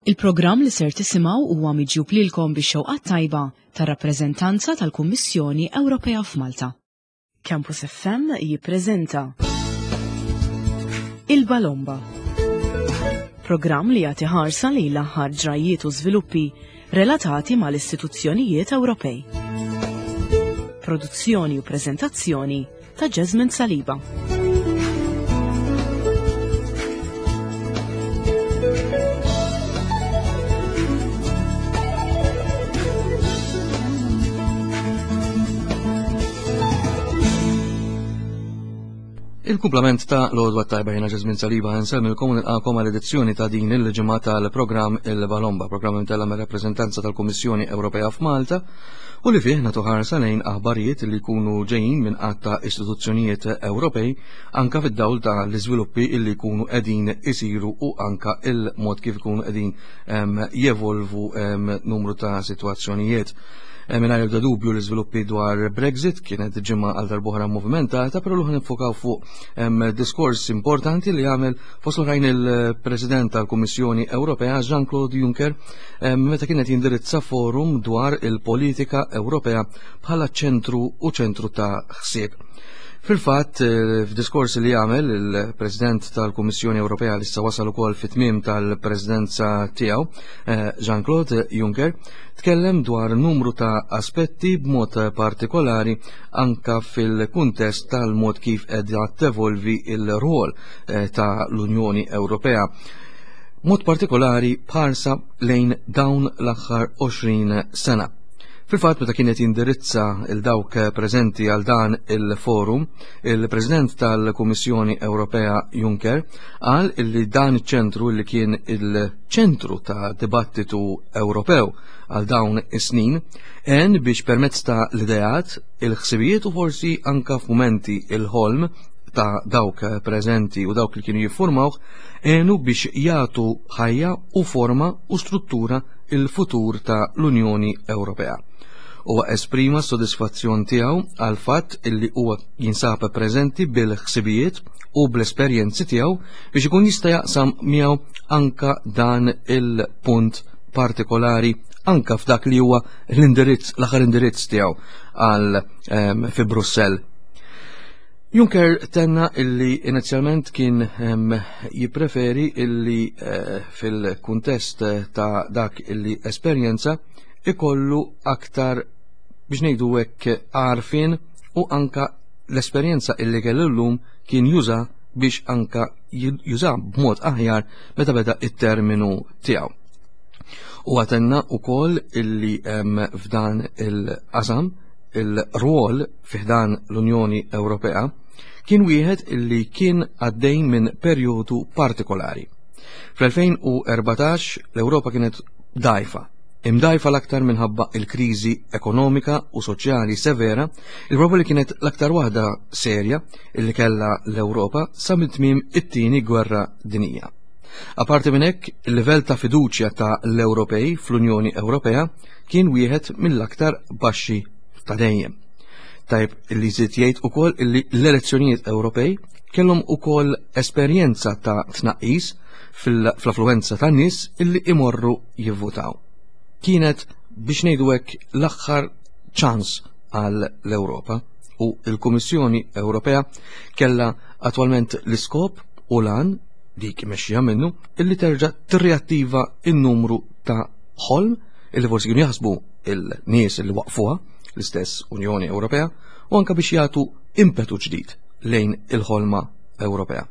Il-programm li ser tisimgħu huwa miġjub lilkom bix-xewqat tajba tar-rappreżentanza tal-Kummissjoni Ewropea f'Malta. Campus FM jippreżenta Il-Balomba. Programm li jagħti ħarsa lejn l-aħħar ġrajjiet u żviluppi relatati mal-istituzzjonijiet Ewropej. Produzzjoni u preżentazzjoni ta' Jasmine Saliba. Il-kumplament ta' l-odwa tajba jena ġazmin Saliba nsemmilkom u nilqakom għal edizzjoni ta' din il-ġimgħa tal-programm Il-Balomba, programm imtella mir-rappreżentanza tal-Kummissjoni Ewropea f'Malta u li fih nagħtu ħarsa lejn aħbarijiet li jkunu ġejjin minn għadd ta' istituzzjonijiet Ewropej anka fid-dawl ta' l-iżviluppi li jkunu qegħdin isiru u anka il-mod kif ikunu qegħdin jevolvu numru ta' sitwazzjonijiet. Mingħajr ebda dubju l-iżviluppi dwar Brexit kienet ġimgħa għal darbohra movimentata, però l nifokaw fuq diskors importanti li għamel fost l-oħrajn il-President tal-Kummissjoni Ewropea Jean-Claude Juncker meta kienet jindirizza forum dwar il-politika Ewropea bħala ċentru u ċentru ta' ħsieb. Fil-fatt, eh, f'diskors li għamel il-President tal-Kummissjoni Ewropea li issa wasal ukoll fit-tmiem tal-Presidenza tiegħu, eh, Jean-Claude Juncker, tkellem dwar numru ta' aspetti b'mod partikolari anka fil-kuntest tal-mod kif qiegħda tevolvi il-rwol eh, ta' l-Unjoni Ewropea. Mod partikolari b'ħarsa lejn dawn l-aħħar 20 sena. Fil-fatt meta kienet jindirizza il dawk preżenti għal dan il-forum, il-President tal-Kummissjoni Ewropea Juncker qal illi dan iċ-ċentru li kien il-ċentru ta' dibattitu Ewropew għal dawn is-snin għen biex permezz ta' l-ideat, il-ħsibijiet u forsi anka f'mumenti il-ħolm ta' dawk preżenti u dawk li kienu jiffurmawh għenu biex jagħtu ħajja u forma u struttura il-futur ta' l-Unjoni Ewropea. Huwa esprima s-sodisfazzjon tiegħu għal fatt illi huwa jinsab preżenti bil-ħsibijiet u bl-esperjenzi tiegħu biex ikun jista' jaqsam miegħu anka dan il-punt partikolari anka f'dak li huwa l-indirizz l-aħħar indirizz tiegħu għal ehm, fi Brussell. Juncker tenna illi inizjalment kien ehm, jippreferi illi eh, fil-kuntest ta' dak illi esperjenza ikollu aktar biex ngħidu hekk għarfien u anka l-esperjenza illi kellu llum kien juża biex anka juża b'mod aħjar meta beda it-terminu tiegħu. U għatenna u koll illi f'dan il-qasam il-rwol fi ħdan l-Unjoni Ewropea kien wieħed illi kien għaddej minn perjodu partikolari. Fl-2014 l-Ewropa kienet dajfa, imdajfa l-aktar minħabba il-kriżi ekonomika u soċjali severa, il-proba li kienet l-aktar waħda serja illi kellha l-Ewropa sa minn tmiem it-tieni gwerra dinija. Aparti minn hekk, il-livell ta' fiduċja ta' l-Ewropej fl-Unjoni Ewropea kien wieħed mill-aktar baxxi ta' dejjem. Tajb li żied jgħid ukoll illi l-elezzjonijiet Ewropej kellhom ukoll esperjenza ta' tnaqqis fl-affluenza tan nies illi imorru jivvutaw. Kienet biex ngħidu hekk l-aħħar ċans għal l-Ewropa u l-Kummissjoni Ewropea kellha attwalment l-iskop u lan dik mexxija minnu illi terġa' tirriattiva n-numru ta' ħolm illi forsi kienu jaħsbu il-nies li waqfuha l-istess Unjoni Ewropea u anka biex jagħtu impetu ġdid lejn il-ħolma Ewropea.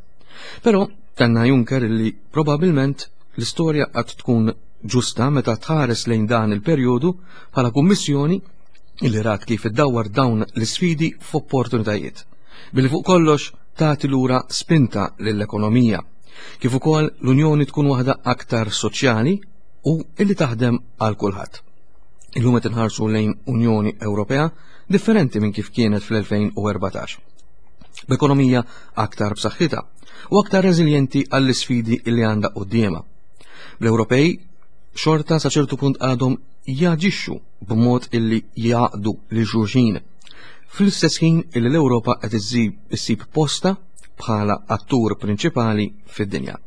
Però tenna Juncker li probabilment l-istorja qatt tkun ġusta meta tħares lejn dan il-perjodu bħala kummissjoni illi rat kif iddawwar dawn l-isfidi f'opportunitajiet. Billi fuq kollox tagħti lura spinta lill-ekonomija. Kif ukoll l-Unjoni tkun waħda aktar soċjali u illi taħdem għal kulħadd. Illum qed inħarsu lejn Unjoni Ewropea differenti minn kif kienet fl-2014. B'ekonomija aktar b'saħħitha u aktar reżiljenti għall-isfidi li għandha quddiemha. L-Ewropej xorta sa ċertu punt għadhom jaġixxu b'mod illi jaqdu li xulxin. Fl-istess ħin illi l-Ewropa qed issib posta bħala attur prinċipali fid-dinja.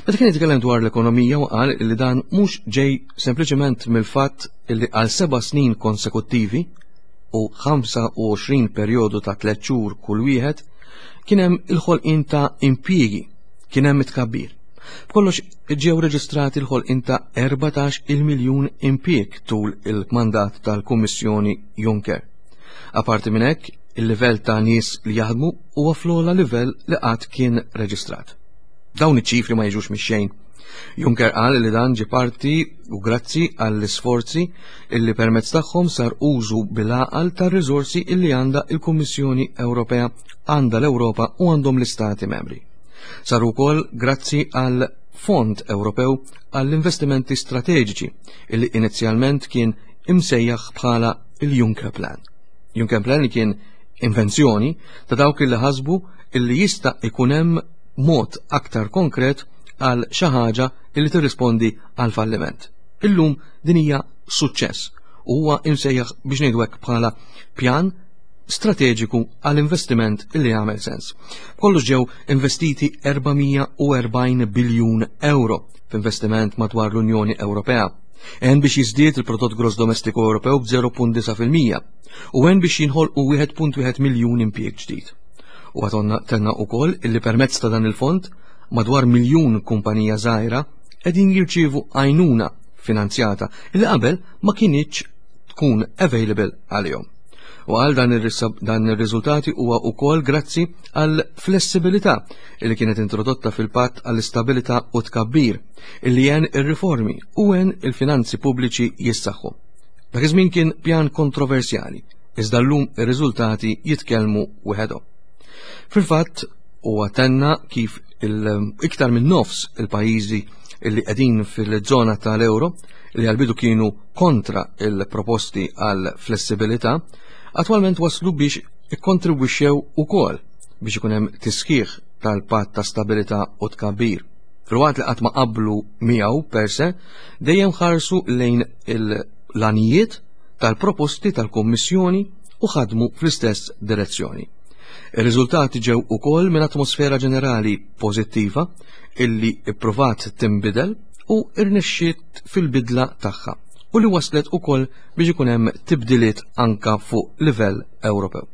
Meta kien jitkellem dwar l-ekonomija u qal li dan mhux ġej sempliċement mill-fatt li għal seba' snin konsekuttivi u 25 perjodu ta' tliet xhur kull wieħed kien hemm il-ħolqien ta' impjiegi, kien hemm it-tkabbir. B'kollox ġew reġistrati l-ħolqien ta' 14 il-miljun impjieg tul il-mandat tal-Kummissjoni Juncker. Aparti minn hekk, il-livell ta' nies li jaħdmu huwa fl-ogħla livell li qatt kien reġistrat. Dawn iċ-ċifri ma jiġux mix-xejn. Juncker qal li dan ġie parti u grazzi għall-isforzi illi permezz tagħhom sar użu bil-għaqal tar-riżorsi illi għandha il-Kummissjoni Ewropea, għandha l-Ewropa u għandhom l-Istati Membri. Sar ukoll grazzi għal Fond Ewropew għall-Investimenti Strateġiċi illi inizjalment kien imsejjaħ bħala il-Juncker Plan. Juncker Plan li kien invenzjoni ta' dawk illi ħasbu illi jista' ikun hemm mod aktar konkret għal xi ħaġa illi tirrispondi għal falliment. Illum din hija suċċess u huwa imsejjaħ biex ngħidu hekk bħala pjan strateġiku għal investiment illi jagħmel sens. Kollox ġew investiti 440 biljun euro f'investiment madwar l-Unjoni Ewropea. Għen biex jiżdied il-prodott gross domestiku Ewropew b'0.9% u għen biex jinħolqu 1.1 miljun impjieg ġdid. U għatonna tenna ukoll illi permezz ta' dan il-fond madwar miljun kumpanija żgħira qegħdin jirċievu għajnuna finanzjata illi qabel ma kinitx tkun available għalihom. U għal dan ir-riżultati huwa wkoll grazzi għal flessibilità li kienet introdotta fil-patt għall-istabilità u tkabbir illi għen ir-riformi u għen il-finanzi pubbliċi jissaħħu. Dak iż-żmien kien pjan kontroversjali, iżda llum ir-riżultati jitkellmu wieħedhom. Fil-fatt, huwa tenna kif iktar minn nofs il-pajjiżi li qegħdin fil-żona tal-euro li għal-bidu kienu kontra il-proposti għal flessibilità, attwalment waslu biex ikkontribwixxew ukoll biex ikun hemm tisħiħ tal-patt ta' stabilità u tkabbir. Filwaqt li qatt ma qablu miegħu per se, dejjem ħarsu lejn l-għanijiet tal-proposti tal-Kummissjoni u ħadmu fl-istess direzzjoni. Ir-riżultati ġew ukoll minn atmosfera ġenerali pożittiva illi ippruvat tinbidel u irnexxiet fil-bidla tagħha u li waslet ukoll biex ikun hemm tibdiliet anka fuq livell Ewropew.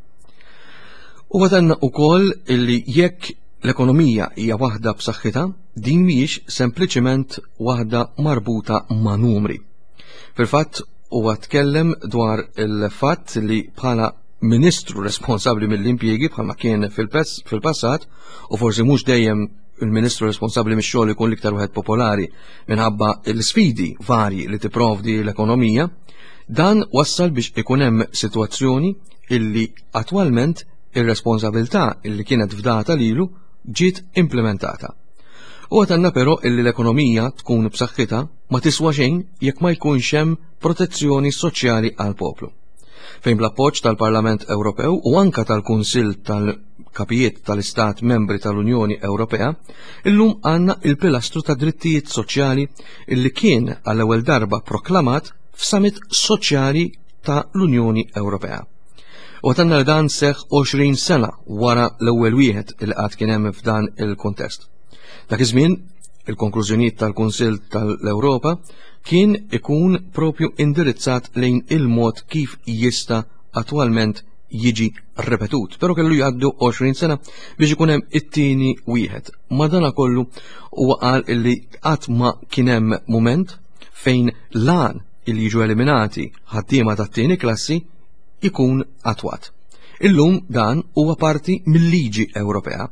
U għatanna ukoll illi jekk l-ekonomija hija waħda b'saħħitha, din mhijiex sempliċiment waħda marbuta ma' numri. Fil-fatt huwa tkellem dwar il-fatt li bħala ministru responsabbli mill-impjiegi bħalma kien fil-passat u forsi mhux dejjem il-ministru responsabbli mix-xogħol ikun l-iktar wieħed popolari minħabba l-sfidi varji li tipprovdi l-ekonomija, dan wassal biex ikun hemm sitwazzjoni illi attwalment ir-responsabilità illi kienet fdata lilu ġiet implementata. U għatanna però illi l-ekonomija tkun b'saħħitha ma tiswa xejn jekk ma jkunx hemm protezzjoni soċjali għal poplu. Fejn bl-appoġġ tal-Parlament Ewropew u anka tal-Kunsill tal-Kapijiet tal-Istat Membri tal-Unjoni Ewropea, illum għandna il-pilastru ta' drittijiet soċjali illi kien għall-ewwel darba proklamat f'summit soċjali ta' l-Unjoni Ewropea. U għatanna li dan seħ 20 sena wara l-ewwel wieħed il qatt kien hemm f'dan il-kontest. Dak iż-żmien, il-konklużjonijiet tal-Kunsill tal-Ewropa kien ikun propju indirizzat lejn il-mod kif jista' attwalment jiġi repetut, pero kellu jgħaddu 20 sena biex ikun hemm it-tieni wieħed. Madanakollu huwa qal illi qatt ma kien hemm mument fejn lan il jiġu eliminati ħaddiema tat-tieni klassi ikun attwat. Illum dan huwa parti mill-liġi Ewropea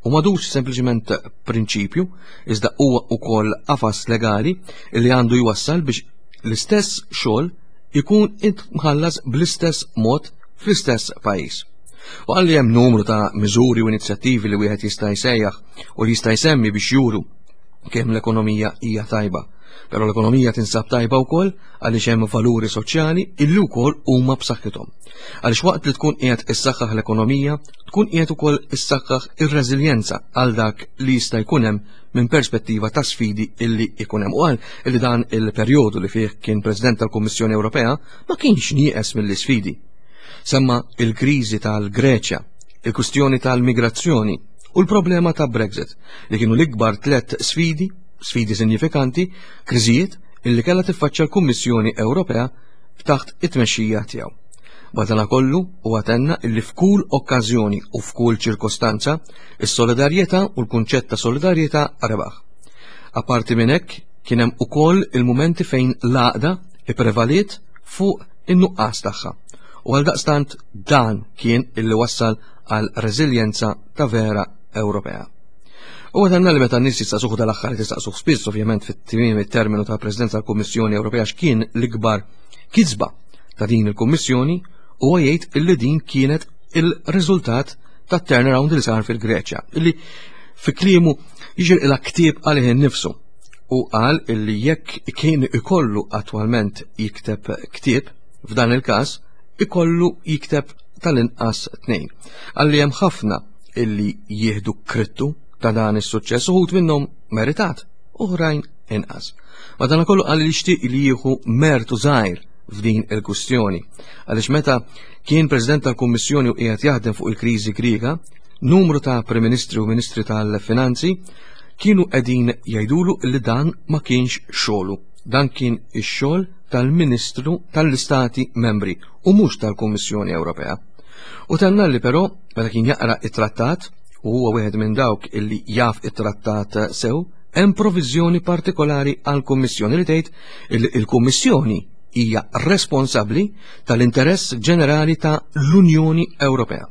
u madux sempliċement prinċipju, iżda huwa ukoll qafas legali li għandu jwassal biex l-istess xogħol ikun imħallas bl-istess mod fl-istess pajjiż. U għalli hemm numru ta' miżuri u inizjattivi li wieħed jista' jsejjaħ u li jista' jsemmi biex juru kemm l-ekonomija hija tajba. Però l-ekonomija tinsab tajba wkoll għaliex hemm valuri soċjali illi wkoll huma b'saħħithom. Għaliex waqt li tkun qiegħed issaħħaħ l-ekonomija, tkun qiegħed ukoll issaħħaħ ir-reżiljenza għal dak li jista' jkun hemm minn perspettiva ta' sfidi illi jkun hemm. U qal illi dan il-perjodu li fih kien President tal-Kummissjoni Ewropea ma kienx nieqes mill-isfidi. Semma il-kriżi tal-Greċja, il-kwistjoni tal-migrazzjoni. u l-problema ta' Brexit, li kienu l-ikbar tlett sfidi, sfidi sinjifikanti, kriżijiet illi kellha tiffaċċja l-Kummissjoni Ewropea taħt it-tmexxija tiegħu. Madanakollu huwa tenna illi f'kull okkażjoni u f'kull ċirkostanza, is-solidarjetà u l-kunċett ta' solidarjetà rebaħ. Apparti minn hekk, kien hemm ukoll il-mumenti fejn l-għaqda ipprevaliet fuq in-nuqqas tagħha. U għaldaqstant dan kien illi wassal għal reżiljenza ta' vera Ewropea. U għatanna li meta n-nies jistaqsuh dal-aħħar li tistaqsuh spiss ovvjament fit-tmiem it-terminu ta' Presidenza tal-Kummissjoni Ewropea x'kien l-ikbar kisba ta' din il-Kummissjoni, huwa jgħid illi din kienet il-riżultat ta' turnaround li sar fil-Greċja, illi fi kliemu jiġri ktieb għalih innifsu u qal illi jekk kien ikollu attwalment jikteb ktieb f'dan il-każ ikollu jikteb tal-inqas tnejn. Għalli hemm ħafna illi jieħdu krittu ta' dan is-suċċess uħud minnhom meritat, oħrajn inqas. Madankollu qal li jixtieq li jieħu mertu żgħir f'din il-kwistjoni. Għaliex meta kien President tal-Kummissjoni u qiegħed jaħdem fuq il-kriżi Griega, numru ta' Prim Ministri u Ministri tal-Finanzi kienu qegħdin jgħidulu li dan ma kienx xogħlu. Dan kien ix-xogħol tal-Ministru tal-Istati Membri u mhux tal-Kummissjoni Ewropea. U tenna li però meta kien jaqra it-trattat u huwa wieħed minn dawk illi jaf it-trattat sew, hemm proviżjoni partikolari għall-Kummissjoni li tgħid illi il-Kummissjoni hija responsabbli tal-interess ġenerali ta' l-Unjoni Ewropea.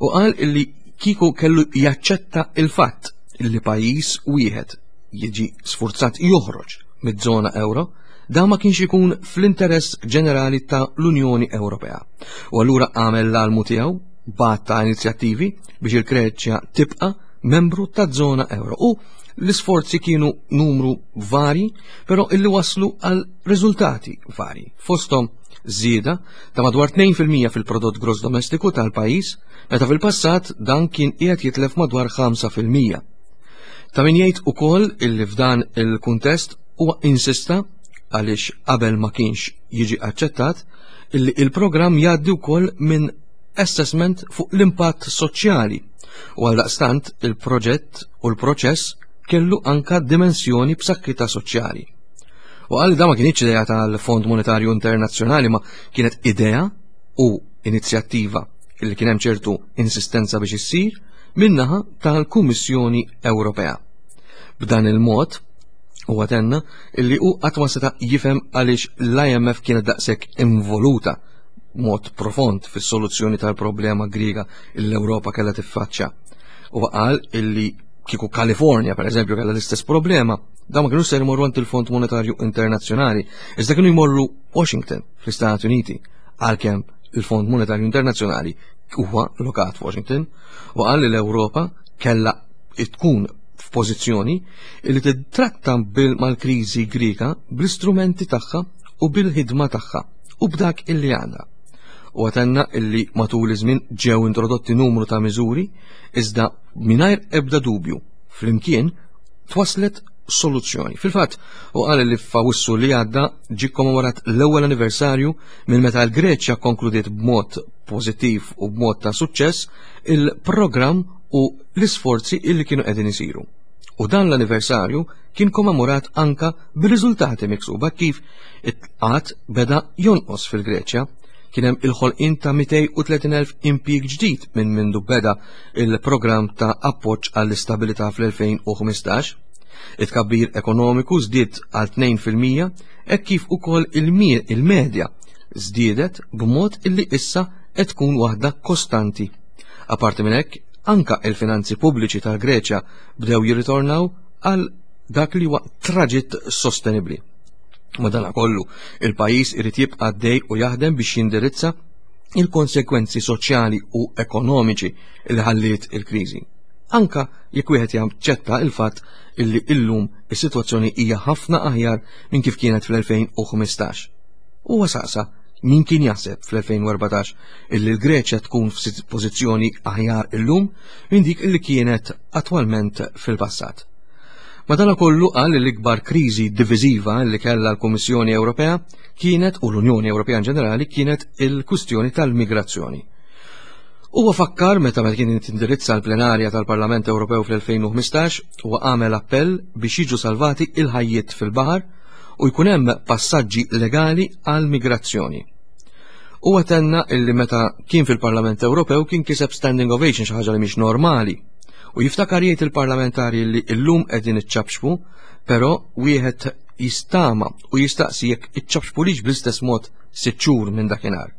U qal illi kieku kellu jaċċetta il-fatt illi pajjiż wieħed jiġi sfurzat joħroġ mid-żona euro, dan ma kienx ikun fl-interess ġenerali ta' l-Unjoni Ewropea. U allura għamel l-almu tiegħu bat ta' inizjattivi biex il-Greċja tibqa' membru ta' żona euro. U l-isforzi kienu numru vari, però illi waslu għal riżultati vari. Fosthom żieda ta' madwar 2% fil-prodott gross domestiku tal-pajjiż, meta fil-passat dan kien qiegħed jitlef madwar 5%. Ta' min jgħid ukoll illi f'dan il-kuntest huwa insista għaliex qabel ma kienx jiġi aċċettat illi il-programm jgħaddi wkoll minn assessment fuq l-impatt soċjali u għaldaqstant il-proġett u l-proċess kellu anka dimensjoni b'saħħitha soċjali. U qal da ma kienx idea tal-Fond Monetarju Internazzjonali ma kienet idea u inizjattiva illi kien hemm ċertu insistenza biex issir minnaħa tal-Kummissjoni Ewropea. B'dan il-mod, huwa tenna illi hu qatt ma seta' jifhem għaliex l-IMF kienet daqshekk involuta mod profond fis-soluzzjoni tal-problema Griega l-Ewropa kellha tiffaċċja. U qal illi kieku Kalifornja, per eżempju, kellha l-istess problema, da ma kienu ser imorru għand il-Fond Monetarju Internazzjonali, iżda kienu jmorru Washington, fl-Istati Uniti, għalkemm il-Fond Monetarju Internazzjonali huwa lokat f'Washington, u qal li l-Ewropa kellha tkun f'pożizzjoni li titratta mal-kriżi Griega bl-istrumenti tagħha u bil-ħidma tagħha u b'dak illi għandha. U għatenna illi matul iż-żmien ġew introdotti numru ta' miżuri iżda mingħajr ebda dubju flimkien twaslet soluzzjoni. Fil-fatt, u qal li f'Awwissu li għadda ġie kommemorat l-ewwel anniversarju minn meta l-Greċja konkludiet b'mod pożittiv u b'mod ta' suċċess il-programm u l-isforzi illi kienu qegħdin isiru. U dan l-anniversarju kien kommemorat anka bir-riżultati miksuba kif it-qgħad beda jonqos fil-Greċja. Kien hemm il-ħolqien ta' 230,000 impjieg ġdid minn mindu beda il-programm ta' appoġġ għall-istabilità fl-2015. It-tkabbir ekonomiku żdied għal 2% hekk kif ukoll il-medja żdiedet b'mod illi issa qed tkun waħda kostanti. Apparti minn hekk, anka il-finanzi pubbliċi tal-Greċja bdew jirritornaw għal dak li huwa traġitt sostenibbli. Madanakollu, il-pajjiż irid jibqa' għaddej u jaħdem biex jindirizza il-konsekwenzi soċjali u ekonomiċi li ħalliet il-kriżi. Anka jekk wieħed jaċċetta il-fatt illi illum is-sitwazzjoni hija ħafna aħjar minn kif kienet fl-2015. Huwa saqsa min kien jaħseb fl-2014 illi l-Greċja tkun f'pożizzjoni aħjar illum minn dik illi kienet attwalment fil-passat. Madanakollu qal li l-ikbar kriżi diviżiva li kellha l-Kummissjoni Ewropea kienet u l-Unjoni Ewropea in ġenerali kienet il-kwistjoni tal-migrazzjoni. Huwa fakkar meta meta kien tindirizza l-plenarja tal-Parlament Ewropew fl-2015 huwa għamel appell biex jiġu salvati il-ħajjiet fil-baħar u jkun hemm passaġġi legali għal migrazzjoni. Huwa tenna illi meta kien fil-Parlament Ewropew kien kiseb standing ovation xi ħaġa li mhix normali. U jiftakar jgħid il-parlamentari li llum qegħdin iċċabxbu, però wieħed jistama u jistaqsi jekk iċċabxbulix bl-istess mod sitt xhur minn dakinhar.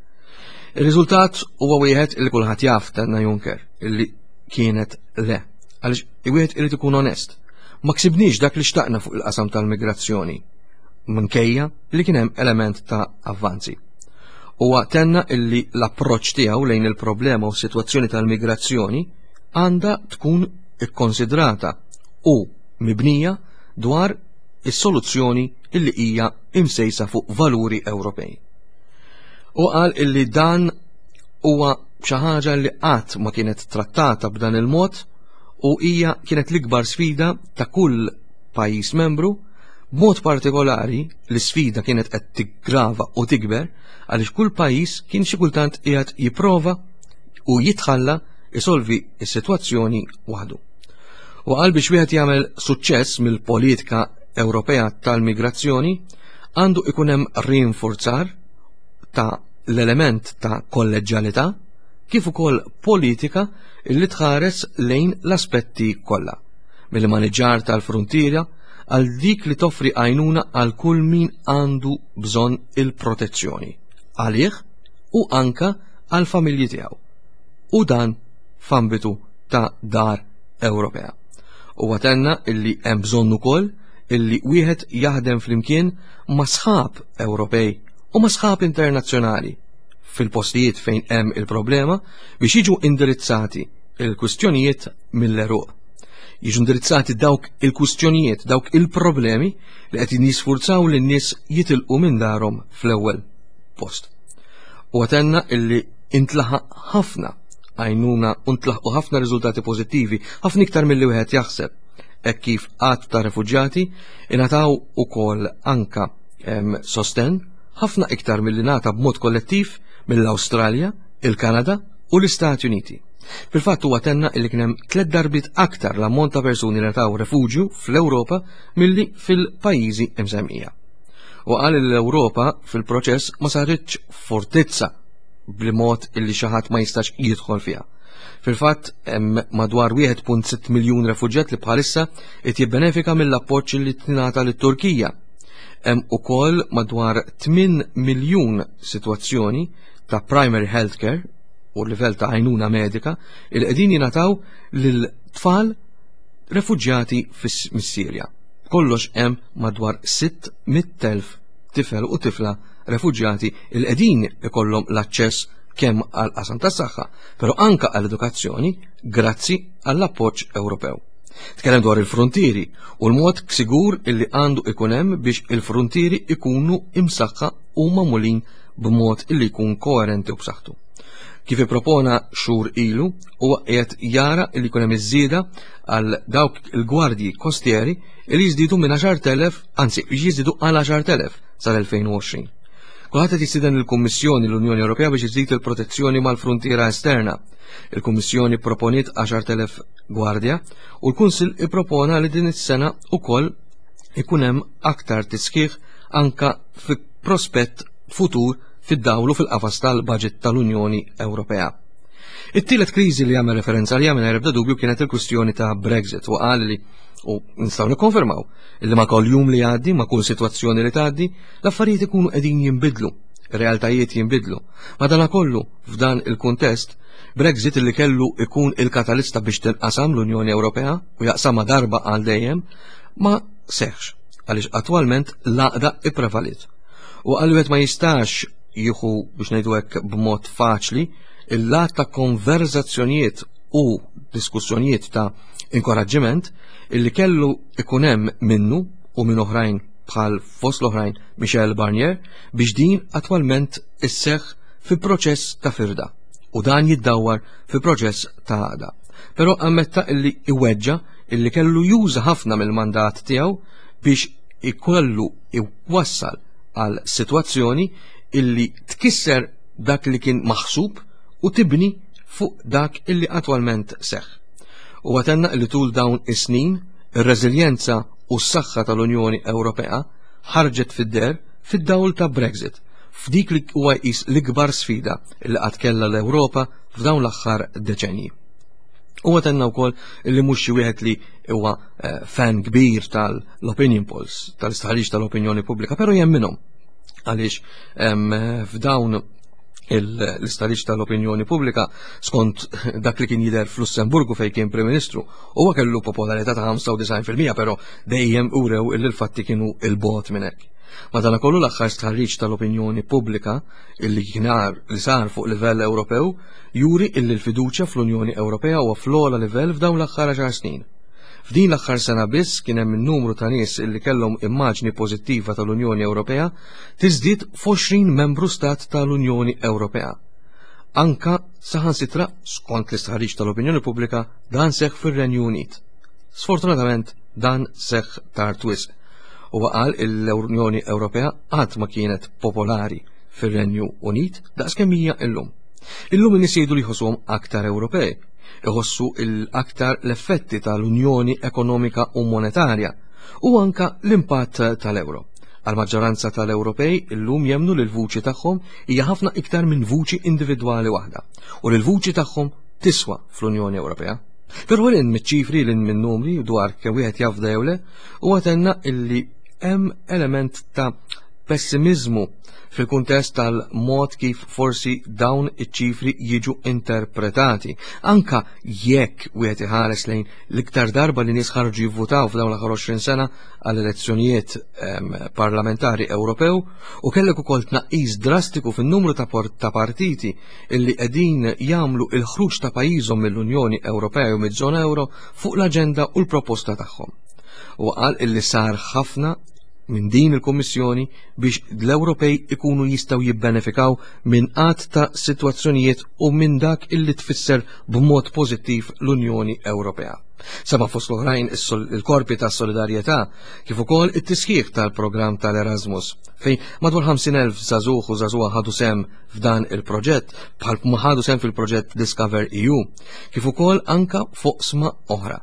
Ir-riżultat huwa wieħed li kulħadd jaf tenna Juncker illi kienet le. Għaliex wieħed irid ikun onest. Ma ksibniex dak li xtaqna fuq il-qasam tal-migrazzjoni minkejja li kien hemm element ta' avvanzi. Huwa tenna illi l-approċċ tiegħu lejn il-problema u s-sitwazzjoni tal-migrazzjoni għandha tkun ikkonsidrata u mibnija dwar is-soluzzjoni illi hija imsejsa fuq valuri Ewropej. U qal illi dan huwa xi ħaġa li qatt ma kienet trattata b'dan il-mod u hija kienet l-ikbar sfida ta' kull pajjiż membru, b'mod partikolari l-isfida kienet qed tiggrava u tikber għaliex kull pajjiż kien xi kultant qiegħed jipprova u jitħalla isolvi s-sitwazzjoni waħdu. U qal biex wieħed jagħmel suċċess mill-politika Ewropea tal-migrazzjoni għandu ikun hemm rinforzar ta' l-element ta' kolleġġjalità kif ukoll politika li tħares lejn l-aspetti kollha, mill-maniġġar tal-fruntiera għal dik li toffri għajnuna għal kull min għandu bżonn il-protezzjoni għalih u anka għal familji tiegħu. U dan f'ambitu ta' dar Ewropea. Huwa tenna illi hemm bżonn ukoll illi wieħed jaħdem flimkien ma' sħab Ewropej u ma' sħab internazzjonali fil-postijiet fejn hemm il-problema biex jiġu indirizzati il-kwistjonijiet mill-eruq. Jiġu indirizzati dawk il-kwistjonijiet, dawk il-problemi li qed jisfurzaw lin-nies jitilqu minn darhom fl-ewwel post. U għatenna illi intlaħaq ħafna għajnuna u ntlaħqu ħafna riżultati pożittivi, ħafna iktar milli wieħed jaħseb. Hekk kif għadd ta' refuġjati ingħataw ukoll anka sosten ħafna iktar milli ngħata b'mod kollettiv mill-Awstralja, il-Kanada u l-Istati Uniti. Fil-fatt huwa tenna li kien hemm tliet darbiet aktar l-ammont ta' persuni li ngħataw refuġju fl-Ewropa milli fil-pajjiżi msemmija. U qal li l-Ewropa fil-proċess ma saritx fortizza b'mod illi xi ħadd ma jistax jidħol fiha. Fil-fatt hemm madwar 1.6 miljun refuġjat li bħalissa qed jibbenefika mill-appoġġ li tingħata lit-Turkija. Hemm ukoll madwar 8 miljun sitwazzjoni ta' primary healthcare u livell ta' għajnuna medika il qegħdin jingħataw lil tfal refuġjati mis-Sirja. Kollox hemm madwar 600,000 tifel u tifla refuġjati il qegħdin ikollhom l-aċċess kemm għal qasam tas-saħħa, però anka għall edukazzjoni grazzi għall-appoġġ Ewropew. Tkellem dwar il-frontieri u l-mod sigur illi għandu ikun hemm biex il-frontieri ikunu imsaħħa u magħmulin b'mod illi jkun koerenti u b'saħħtu. Kif ippropona xhur ilu, huwa qiegħed jara illi jkun hemm iż-żieda għal dawk il-gwardji kostieri li jiżdiedu minn 10,000, anzi jiżdiedu għal 10,000 sal-2020. Kulħadd qed jistieden lill-Kummissjoni l-Unjoni Ewropea biex iżid il-protezzjoni mal-fruntiera esterna. Il-Kummissjoni proponiet 10,000 gwardja u l-Kunsill ippropona li din is-sena ukoll ikun hemm aktar tisħiħ anka fi prospett futur fid-dawl u fil-qafas tal-budget tal-Unjoni Ewropea. It-tielet kriżi li għamel referenza li għamel ebda dubju kienet il-kwistjoni ta' Brexit u qal li u nistgħu nikkonfermaw li ma' kull jum li jgħaddi, ma' kull sitwazzjoni li tgħaddi, l-affarijiet ikunu qegħdin jinbidlu, ir-realtajiet jinbidlu. Madanakollu, f'dan il-kuntest, Brexit li kellu ikun il-katalista biex tinqasam l-Unjoni Ewropea u jaqsamha darba għal dejjem, ma seħx għaliex attwalment l-għaqda ipprevalit. U għal wieħed ma jistax jieħu biex ngħidu hekk b'mod faċli il-lat ta' konverzazzjonijiet u diskussjonijiet ta' inkoraġġiment illi kellu ikun hemm minnu u minn oħrajn bħal fost l-oħrajn Michel Barnier biex din attwalment isseħħ fi proċess ta' firda u dan jiddawwar fi proċess ta' għaqda. Però ammetta illi iweġġa illi kellu juża ħafna mill-mandat tiegħu biex ikollu iwassal għal sitwazzjoni illi tkisser dak li kien maħsub u tibni fuq dak illi attwalment seħħ. Huwa tenna li tul dawn is-snin ir-reżiljenza u s-saħħa tal-Unjoni Ewropea ħarġet fid-deher fid-dawl ta' Brexit, f'dik li huwa jqis l-ikbar sfida li qatt kellha l-Ewropa f'dawn l-aħħar deċenji. Huwa tenna wkoll li mhux xi wieħed li huwa eh, fan kbir tal-opinion polls, tal-istħarriġ tal-opinjoni pubblika, però jemminhom għaliex f'dawn l-istħarriġ tal-opinjoni pubblika skont dak li kien jidher fl-Lussemburgu fejn kien Prim Ministru huwa kellu popolarità ta' 95% però dejjem urew li l-fatti kienu il-bot minn hekk. Madanakollu l-aħħar stħarriġ tal-opinjoni pubblika illi kien li sar fuq livell Ewropew juri illi l-fiduċja fl-Unjoni Ewropea huwa fl-ogħla livell f'dawn l-aħħar 10 snin. F'din l-aħħar sena biss kien hemm in-numru ta' nies illi kellhom immaġni pożittiva tal-Unjoni Ewropea tiżdied f'20 membru stat tal-Unjoni Ewropea. Anka saħansitra skont l-istħarriġ tal-opinjoni pubblika dan seħħ fir-Renju Unit. Sfortunatament dan seħħ tard wisq. Huwa qal l-Unjoni Ewropea qatt ma kienet popolari fir-Renju Unit daqskemm hija illum. Illum in-nies jgħidu li jħossuhom aktar Ewropej, iħossu l-aktar l-effetti tal-Unjoni Ekonomika u Monetarja u anka l-impatt tal-euro. Għal-maġġoranza tal-Ewropej illum jemnu li l-vuċi tagħhom hija ħafna iktar minn vuċi individwali waħda u li l-vuċi tagħhom tiswa fl-Unjoni Ewropea. Però l miċ-ċifri l minn numri dwar kemm wieħed jafda jew le, huwa tenna illi hemm element ta' pessimizmu fil-kuntest tal-mod kif forsi dawn iċ-ċifri jiġu interpretati. Anka jekk wieħed iħares lejn l-iktar darba li nies ħarġu jivvutaw f'dawn l-aħħar 20 sena għall elezzjonijiet parlamentari Ewropew u kellek ukoll tnaqqis drastiku fin-numru ta', ta partiti illi qegħdin jagħmlu il-ħruġ ta' pajjiżhom mill-Unjoni Ewropea jew miż-żona Ewro fuq l-aġenda u l-proposta tagħhom. U qal illi sar ħafna minn din il-Kummissjoni biex l-Ewropej ikunu jistgħu jibbenefikaw minn għadd ta' sitwazzjonijiet u minn dak illi tfisser b'mod pożittiv l-Unjoni Ewropea. Sema fost l-oħrajn il-korpi ta' solidarjetà kif ukoll it-tisħiħ tal-programm tal-Erasmus fejn madwar 50,000 żagħżugħ u żagħżugħa ħadu sem f'dan il-proġett bħal ma ħadu sem fil-proġett Discover EU kif ukoll anka foqsma oħra.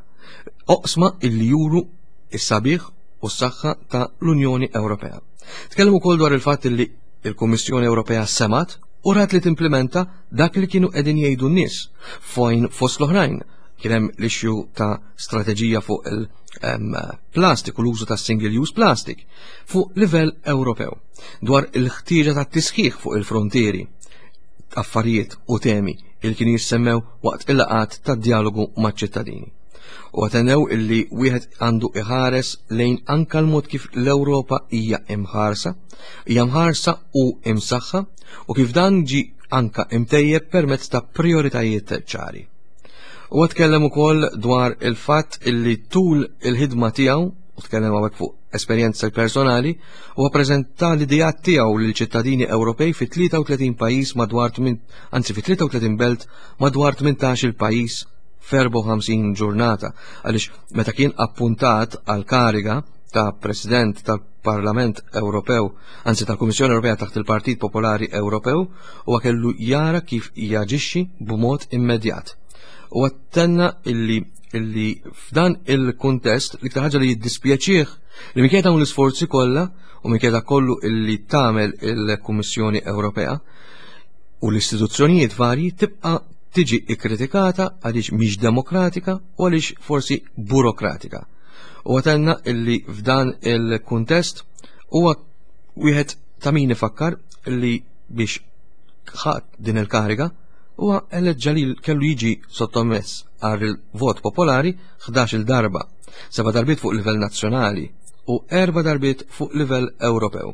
Oqsma illi juru is-sabiħ u s-saħħa ta' l-Unjoni Ewropea. Tkellem ukoll dwar il-fatt li il-Kummissjoni Ewropea semat u rat li timplementa dak li kienu qegħdin jgħidu n-nies fojn fost l-oħrajn kien hemm l-issue ta' strateġija fuq il-plastik u l-użu ta' single use plastic fuq livell Ewropew dwar il-ħtieġa ta' tisħiħ fuq il-frontieri affarijiet u temi il kienu jissemmew waqt il-laqat ta' dialogu maċ-ċittadini. U għatenew illi wieħed għandu iħares lejn anka l-mod kif l-Ewropa hija imħarsa, hija mħarsa u imsaħħa u kif dan ġi anka imtejjeb permezz ta' prioritajiet ċari. U tkellem ukoll dwar il-fatt illi tul il-ħidma tiegħu u tkellem hawnhekk fuq esperjenza personali u ppreżenta l-ideat tiegħu lil ċittadini Ewropej fi 33 pajjiż madwar anzi fi 33 belt madwar 18 il pajjiż f'54 ġurnata għaliex meta kien appuntat għal kariga ta' President tal-Parlament Ewropew, anzi tal-Kummissjoni Ewropea taħt il-Partit Popolari Ewropew, huwa kellu jara kif jaġixxi b'mod immedjat. U tenna illi illi f'dan il-kuntest l-iktar ħaġa li jiddispjaċih li minkejja dawn l-isforzi kollha u minkejja kollu illi tagħmel il-Kummissjoni Ewropea u l-istituzzjonijiet varji tibqa' tiġi ikkritikata għaliex mhix demokratika u għaliex forsi burokratika. U għatenna illi f'dan il-kuntest huwa wieħed ta' min ifakkar illi biex ħadd din il-kariga huwa eleġġa li kellu jiġi sottomess għal il-vot popolari 11 darba, seba' darbiet fuq livell nazzjonali u erba' darbiet fuq livell Ewropew.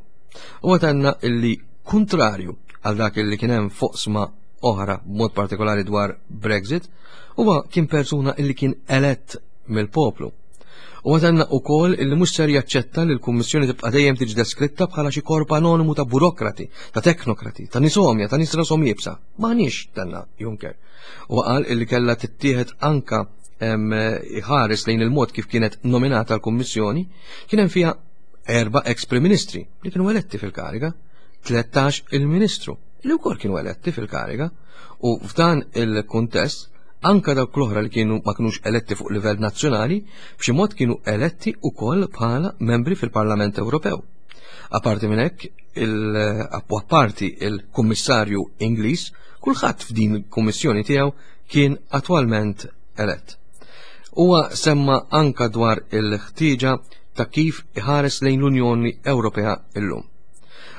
U għatenna illi kontrarju għal dak illi kien hemm foqsma oħra b'mod partikolari dwar Brexit, huwa kien persuna illi kien elett mill-poplu. U għatenna u kol illi mux ser jaċċetta li l-Kummissjoni tibqa' dejjem tiġi deskritta bħala xi korp anonimu ta' burokrati, ta' teknokrati, ta' nisomja, ta' nies rashom iebsa. M'aħniex tenna Juncker. U qal illi kellha tittieħed anka iħares lejn il-mod kif kienet nominata l-Kummissjoni, kien hemm fiha erba' ex Prim Ministri li kienu eletti fil-kariga, 13 il-Ministru. li wkoll kienu eletti fil-kariga u f'dan il-kuntest anka dawk l-oħra li kienu ma kinux eletti fuq livell nazzjonali b'xi mod kienu eletti wkoll bħala membri fil-Parlament Ewropew. Aparti minn hekk, apparti il-Kummissarju Ingliż, kulħadd f'din il-kummissjoni tiegħu kien attwalment elett. Huwa semma anka dwar il-ħtieġa ta' kif iħares lejn l-Unjoni Ewropea illum.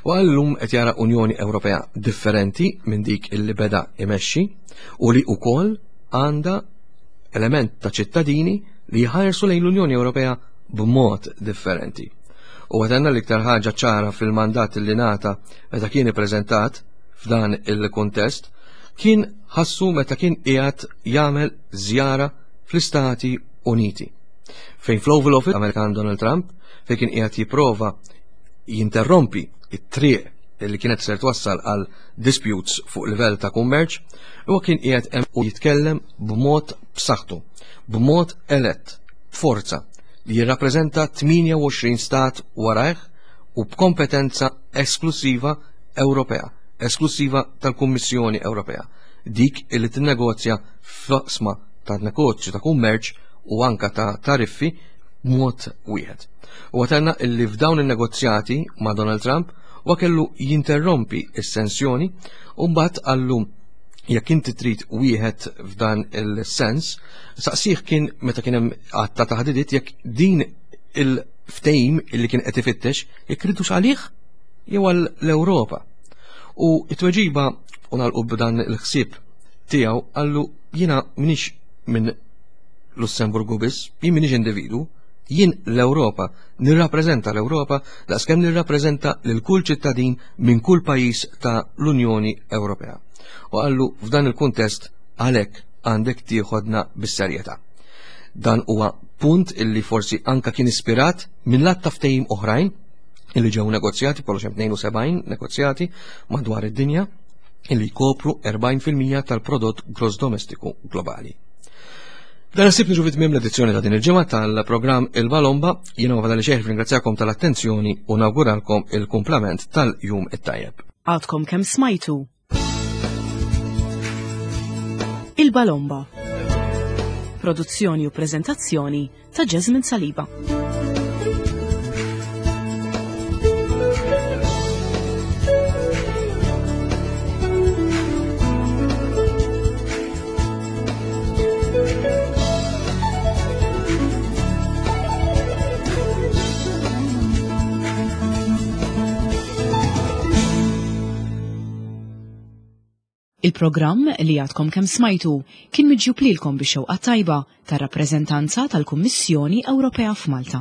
U għallum qed jara Unjoni Ewropea differenti minn dik illi beda imexxi u li wkoll għandha element ta' ċittadini li jħarsu lejn l-Unjoni Ewropea b'mod differenti. U għatenna l-iktar ħaġa ċara fil-mandat li nata meta kien ippreżentat f'dan il-kuntest kien ħassu meta kien qiegħed jagħmel żjara fl-Istati Uniti. Fejn fl-Oval Office Amerikan Donald Trump fejn kien qiegħed jipprova jinterrompi it-triq li kienet ser twassal għal disputes fuq livell ta' kummerċ, huwa kien qiegħed hemm u jitkellem b'mod b'saħħtu, b'mod elett, b'forza li jirrappreżenta 28 stat warajh u b'kompetenza esklusiva Ewropea, esklusiva tal-Kummissjoni Ewropea, dik li tinnegozja f'oqsma ta' negozju ta' kummerċ u anka ta' tariffi b'mod wieħed. U għatenna illi f'dawn il-negozjati ma' Donald Trump wa kellu jinterrompi s-sensjoni u mbagħad qallu jekk inti trid wieħed f'dan il-sens, saqsih kien meta kien hemm għadd ta' taħdidiet jekk din il-ftehim illi kien qed ifittex jekk ridux għalih jew għall-Ewropa. U t-tweġiba u nagħlqu b'dan il-ħsieb tiegħu qallu jiena minix minn Lussemburgu biss, jien minix individu, jien l-Ewropa, nirrappreżenta l-Ewropa daqskemm nirrappreżenta lil kull ċittadin minn kull pajjiż ta' l-Unjoni Ewropea. U qallu f'dan il-kuntest għalhekk għandek tieħodna bis-serjetà. Dan huwa punt illi forsi anka kien ispirat minn lat ta' ftehim oħrajn illi ġew negozjati, kollox hemm 72 negozjati madwar id-dinja illi jkopru 40% tal-prodott gross domestiku globali. Dan ħsieb niġu fit-tmiem l-edizzjoni ta' din il-ġimgħa tal-programm Il-Balomba, jiena ma fadali xejn ringrazzjakom tal-attenzjoni u nawguralkom il-kumplament tal-jum it-tajjeb. Għadkom kemm smajtu Il-Balomba. Produzzjoni u preżentazzjoni ta' Jasmine Saliba. Il-programm li għadkom kemm smajtu kien miġjub lilkom bix-xewqa tajba tar-rappreżentanza tal-Kummissjoni Ewropea f'Malta.